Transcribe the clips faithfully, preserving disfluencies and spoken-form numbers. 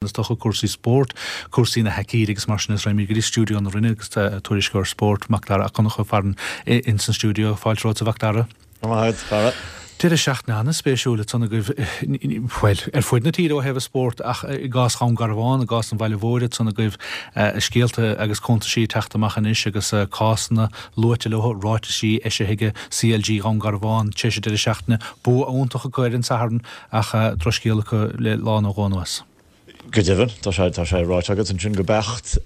Is dócha cúrsaí spóirt, cúrsaí na haicíde agus mar sin is raghaimid go dtí stiúideo na Rinne agus tuairisceoir spóirt Macdara Ó Conchúir farainn ins an stiúideo. Fáilte romhat, a Mhacdara. Maith agat. Deireadh seachtaine an-spéisiúil ansan agaibh, bhuel, ar fud na tíre ó thaobh an spóirt ach i gcás Dhún Garbhán, i gcás an bhaile mhóir ansan agaibh, scéalta agus cuntaisí ag teacht amach anois agus cásanna luaite leo, ráitisí eisithe ag C L G Dhún Garbhán tar éis an deireadh seachtaine, bua iontach acu ar an Satharn ach drochscéal acu le lá nó dhó anuas. Go deimhin, tá sé tá sé ráite agat ansin go beacht.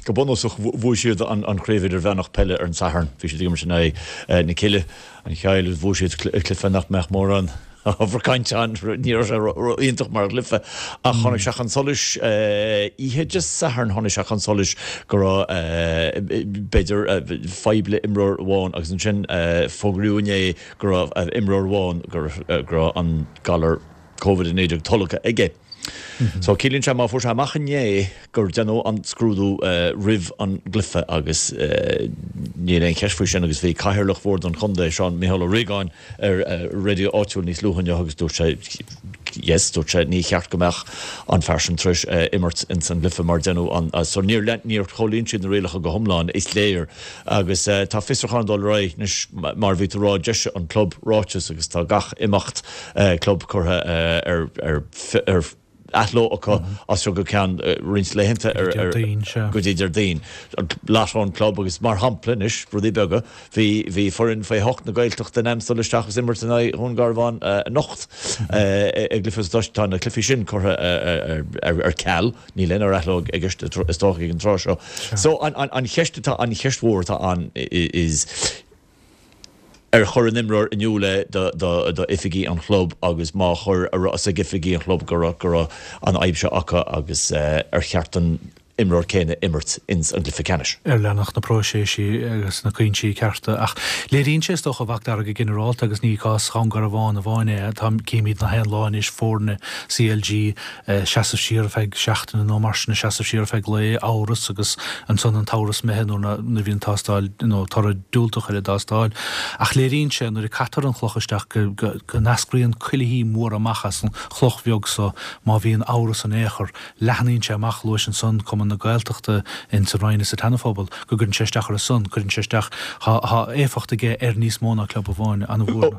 Go bunúsach bhuaigh siad an an chraobh idirmheánach peile ar an Satharn. Bhí siad ag imirt in aghaidh na Cille, an Chill, agus bhuaigh siad cluiche nach mbeadh mórán ábhar cainte ann, ní raibh sé iontach mar chluiche. Ach tháinig sé chun solais oíche Dé Sathairn, tháinig sé chun solais go raibh b'fhéidir fadhb le imreoir amháin agus ansin fógraíodh inné go raibh imreoir amháin go raibh an galar Covid a naoi déag tolgtha aige. So ciallaíonn sé má fuair sé amach inné gur déanadh an scrúdú roimh an gcluiche agus níl aon cheist faoi sin agus bhí cathaoirleach bhord an chontae, Seán Micheál Ó Riagáin, ar raidió áitiúil níos luaithe inniu agus dúirt sé yes, dúirt sé ní cheart go mbeadh an fear sin tar éis imirt ins an gcluiche mar déanadh an so níor níor chomhlíon siad na rialacha go hiomlán, is léir, agus tá fiosrúchán ag dul ar aghaidh anois. Mar bhí tú ag rá, d'eisigh an club ráiteas agus tá gach imeacht club curtha ar ar ar athló acu as seo go ceann roinnt laethanta ar go dtí Déardaoin. Lot ón club agus mar shampla anois, rudaí beaga, bhí bhí foireann faoi hocht na Gaeltachta in ainm dul isteach agus imirt in aghaidh Dhún Garbhán anocht i gcluiche. Tá na cluichí sin curtha ar ceal, níl aon ar athló i gceist is dócha ag an tráth seo. So an an cheist atá an cheist mhór atá ann is ar chuir an imreoir in iúl é do do oifigigh an chlub agus má chuir a raibh ag oifigigh an chlub go raibh go raibh an fhadhb seo acu agus ar cheart an imreoir céanna imirt ins an gcluiche ceannais. Ar leanadh na próiseas agus na cúinsí cearta. Ach léiríonn sé is dócha, a Mhacdara, go ginearálta, agus ní cás Dhún Garbhán amháin é, tá címid na haon lá anois foirne C L G seasamh siar ar feadh seachtaine nó mar sin, seasamh siar ar feadh lae, amhras agus ansan an t-amhras imithe nuair a bhíonn tástáil nó toradh diúltach ar an dtástáil. Ach léiríonn sé nuair a caitear an chloch isteach go go n-eascraíonn cuilithí móra amach as an chloch bheag so má bhíonn amhras in aon chor, leathnaíonn sé amach. Luais ansan Cumann na Gaeltachta insa Rinn is sa tSeana-Phobal, go gcuireann sé isteach ar a son, cuireann sé isteach, tá éifeacht aige ar níos mó ná club amháin, an-mhór.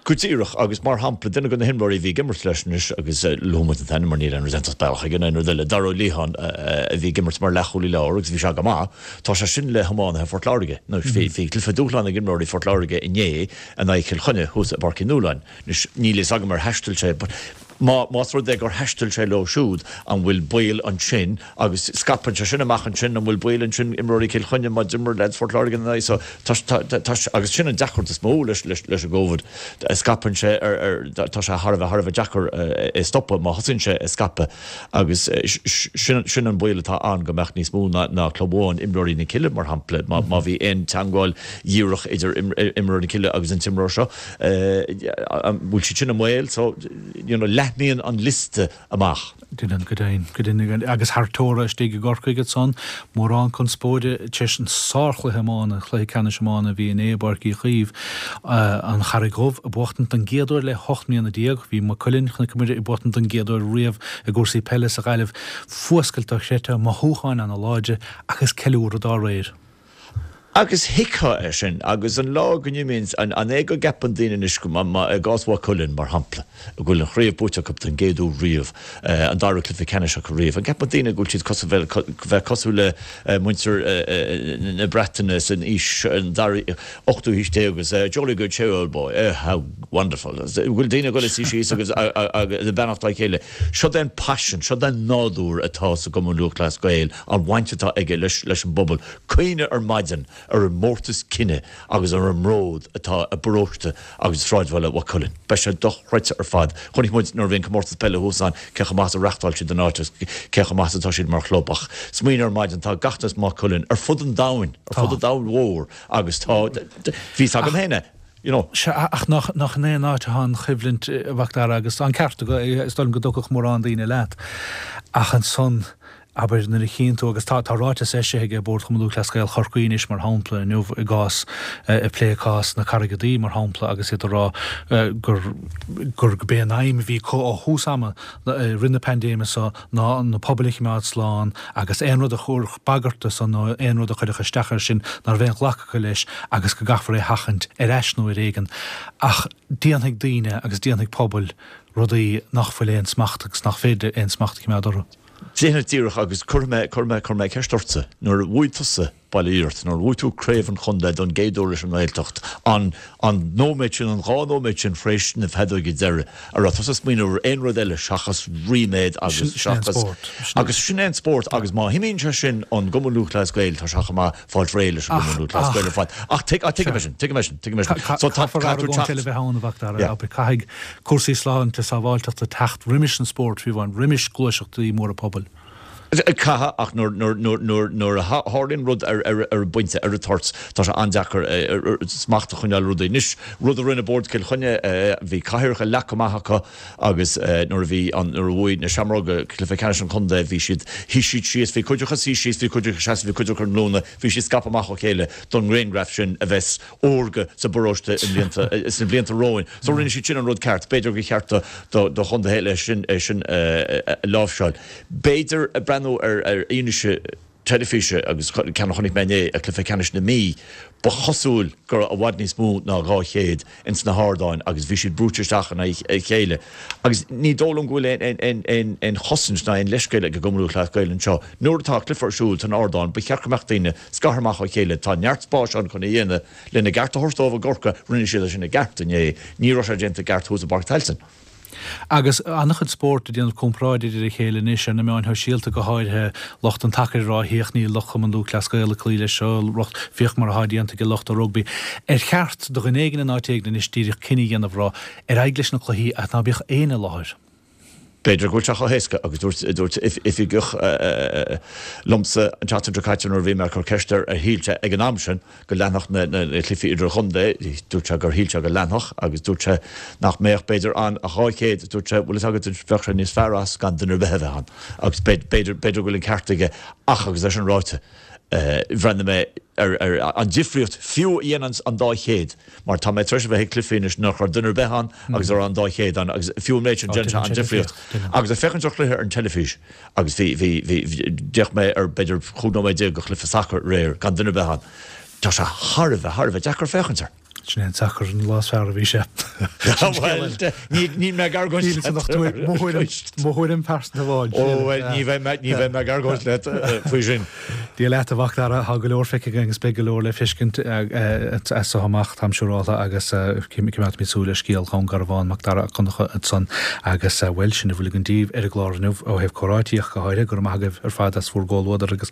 Go díreach, agus mar shampla, duine de na himreoirí a bhí ag imirt leis anois agus luaigh muid an t-ainm mar níl aon rud iontach bealach aige nó aon rud eile, Dara Ó Liatháin, a bhí ag imirt mar leathchúlaí láir agus bhí sé go maith, tá sé sin le hiománaithe Phort Láirge. Anois bhí bhí cluiche dúshláin ag imreoirí Phort Láirge inné in aghaidh Chill Chainnigh thuas i bPáirc Uí Nualláin. Anois níl fhios agam ar thaistil sé but má más rud é gur thaistil sé leo siúd, an bhfuil baol ansin agus scaipeann sé sin amach ansin, an bhfuil baol ansin imreoirí Chill Chainnigh má d'imir leaids Phort Láirge ina aghaidh? So tá tá tá agus sin an deacracht is mó leis leis leis an gCovid, scaipeann sé ar ar tá sé thar a bheith thar a bheith deacair é stopadh má thosaíonn sé ag scaipeadh agus sin sin an baol atá ann go mbeadh níos mó ná ná club amháin, imreoirí na Cille mar shampla, má má bhí aon teagmháil dhíreach idir imreoirí na Cille agus an t-imreoir seo, an bhfuil siad sin i mbaol? So you know, leathnaíonn an liosta amach. Déanann, go deimhin, go deimhin. Agus thar teora istigh i gCorcaigh ansan, mórán conspóide tar éis an sárchluiche iomána, cluiche ceannais iomána a bhí inné i bPáirc Uí Chaoimh, an Charraig Dhubh ag buachtaint don gcéad uair le hocht mbliana déag. Bhí Maigh Cuilinn, chonaic muid, ag buachtaint don gcéad uair riamh i gcúrsaí peile sa Ghaillimh. Fuascailt dochreidte, mothúcháin ana-láidre agus ceiliúradh dá réir. Agus thuigfeá é sin, agus an lá go n-imíonn, an é go gceapann daoine anois go, i gcás Mhaigh Cuilinn, mar shampla, go bhfuil an chraobh buaite acu don gcéad uair riamh, an dara cluiche ceannais acu riamh, an gceapann daoine go bhfuil siad cosúil, bheith cosúil le muintir na Breataine san aois, an dara, ochtú haois déag agus jolly good cheer old boy, eh, how wonderful. Go bhfuil daoine ag dul ag suí síos agus ag beannacht dá chéile. Seo é an paisean, seo é an nádúr atá sa gCumann Lúthchleas Gael, an bhaint atá aige leis leis an bpobal. Cuimhnigh ar maidin ar an mórtas cine agus ar an mbród atá i bparóiste agus i sráidbhaile Mhaigh Cuilinn. Beidh sé dochreidte ar fad. Chonaic muid nuair a bhí an comórtas peile thuas ann cé chomh maith is a reachtáil siad an áit agus cé chomh maith is atá siad mar chlub. Ach smaoinigh ar maidin, tá gach duine as Maigh Cuilinn ar fud an domhain, ar fud an domhain mhór agus tá, bhí fhios agam féin é, you know. Sea, ach nach, nach in aon áit atá an choimhlint, a Mhacdara, agus tá an ceart agat, is dóigh liom go dtiocfadh mórán daoine leat. Ach ansan, abair, nuair a chíonn tú, agus tá tá ráiteas eisithe ag Bord Chumann Lúthchleas Gael Chorcaí anois, mar shampla, inniu i gcás, ag plé cás na Carraige Duibhe, mar shampla, agus iad ag rá gur gur gurb é an aidhm a bhí acu ó thús ama i rith na paindéime seo ná na pobail a choimeád slán agus aon rud a chuirfeadh bagairt do san nó aon rud a chuirfeadh isteach air sin ná raibh aon ghlacadh acu leis agus go gcaithfear é a sheachaint ar ais nó ar éigean. Ach déanfaidh daoine agus déanfaidh pobail rudaí nach bhfuil aon smacht agus nach féidir aon smacht a choimeád orthu. Déanfaidh díreach agus cuirfidh mé, cuirfidh mé, cuirfidh mé ceist ortsa. Nuair a bhuaigh tusa Baile Hiort, nuair a bhuaigh tú craobh an chontae don gcéad uair leis an nGaeltacht, an, an nóiméad sin, an dhá nóiméad sin tar éis na feadóige deiridh, an raibh tusa ag smaoineamh ar aon rud eile seachas ríméad agus Sin, sin é an seachas, spórt. Sin é. agus sin é an spórt agus má imíonn sé sin ón gCumann Lúthchleas Gael, tá sé chomh maith fáilt réidh leis an Ach, gCumann Lúthchleas ach, Gael ar fad. Ach tuig, ach tuigim é sea. sin, tuigim é sin, tuigim é sin. Ca, So tá, caithfear caithfidh tú argóint eile teacht, a bheith ann, a Mhac Dara, yeah. abair, caithfidh cúrsaí sláinte sábháilteachta teacht roimis an spórt, fiú amháin, roimis gluaiseachtaí móra pobail. Caithfidh, ach nuair a tharlaíonn rud ar an bpointe, ar an toirt, tá sé an-deacair smacht a choinneáil ar rudaí. Anois, rud a rinne Bord Chill Chainnigh, bhí cathaoireacha leagtha amach acu agus nuair a bhí an, nuair a bhuaigh na Seamróga cluiche ceannais an chontae, bhí siad, shuigh siad síos, bhí cuid acu suí síos, bhí cuid acu seasamh, bhí cuid acu ar a nglúine, bhí siad scaipthe amach ó chéile don ngrianghraf sin a bheas órga sa bparóiste i mblianta, sna blianta romhainn. So rinne siad sin an rud ceart. B'fhéidir gur cheart do do chontaetha eile sin é sin a láimhseáil. B'fhéidir breathnú ar ar fhianaise teilifíse agus ceann a chonaic mé inné ag cluiche ceannais na Mí, ba chosúil go raibh i bhfad níos mó ná dhá chéad ins na hardáin agus bhí siad brúite isteach in aghaidh a chéile. Agus ní dóigh liom go bhfuil aon aon aon chosaint ná aon leithscéal ag an gCumann Lúthchleas Gael anseo. Nuair atá cluiche ar siúl san ardán, ba cheart go mbeadh daoine scartha amach ó chéile. Tá neart spáis ann chun é a dhéanamh. Lena gceart a thabhairt dóibh i gCorcaigh, rinne siad é sin i gceart inné. Ní raibh sé déanta i gceart thuas i bPáirc Tailteann. Agus an-chuid spórt ag déanamh comparáid idir a chéile anois, ar na meáin shóisialta go háirithe, lucht an tsacair ag rá féach níl lucht Chumann Lúthchleas Gael ag cloí leis seo, lucht, féach mar atá déanta ag lucht an rugbaí. Ar cheart do dhuine éigin in áit éigin anois díreach cinneadh a dhéanamh rá ar aghaidh leis na cluichí ach ná bíodh éinne i láthair? B'fhéidir go bhfuil sé chomh héasca agus dúirt dúirt oifigeach liomsa an tseachtain seo caite nuair a bhí mé ag cur ceist air ar shíl sé ag an am sin go leanfadh na na cluichí idirchontae, dúirt sé gur shíl sé go leanfadh agus dúirt sé nach mbeadh b'fhéidir ann ach dhá chéad, dúirt sé bhfuil fhios agat bheadh sé níos fearr as gan duine ar bith a bheith ann agus b'fhéidir b'fhéidir go bhfuil an ceart aige ach agus é sin ráite bhreathnaigh mé ar an difríocht fiú a dhéanann an dá chéad, mar tá mé tar éis a bheith ag cluichí anois nach raibh duine ar bith ann agus a raibh an dá chéad ann agus fiú an méid sin déanann sé an difríocht. Agus ag féachaint ar chluiche ar an teilifís agus bhí, bhí, bhí, d'fhéach mé ar b'fhéidir chúig nóiméad déag de chluiche sacair aréir gan duine ar bith ann, tá sé thar a bheith, thar a bheith deacair féachaint air. Sin é an sacar an lá is fearr a bhí sé. Sin scéal eile. Níl mé ag argóint leat. Mo thuairim pearsanta amháin. Ó bhuel, ní bheidh mé, ní bheidh mé ag argóint leat faoi sin. Dia leat a Mhac Dara, tá go leor feicthe againn agus beidh go leor le feiscint as seo amach, táim siúrálta, agus coimeádfaimid súil ar scéal Dhún Garbhán, Mac Dara Ó Conchúir ansan agus bhuel, sin a bhfuil againn daoibh ar an gclár inniu ó thaobh comhráití ach go háirithe. Go raibh maith agaibh ar fad as bhur gcomhluadar agus.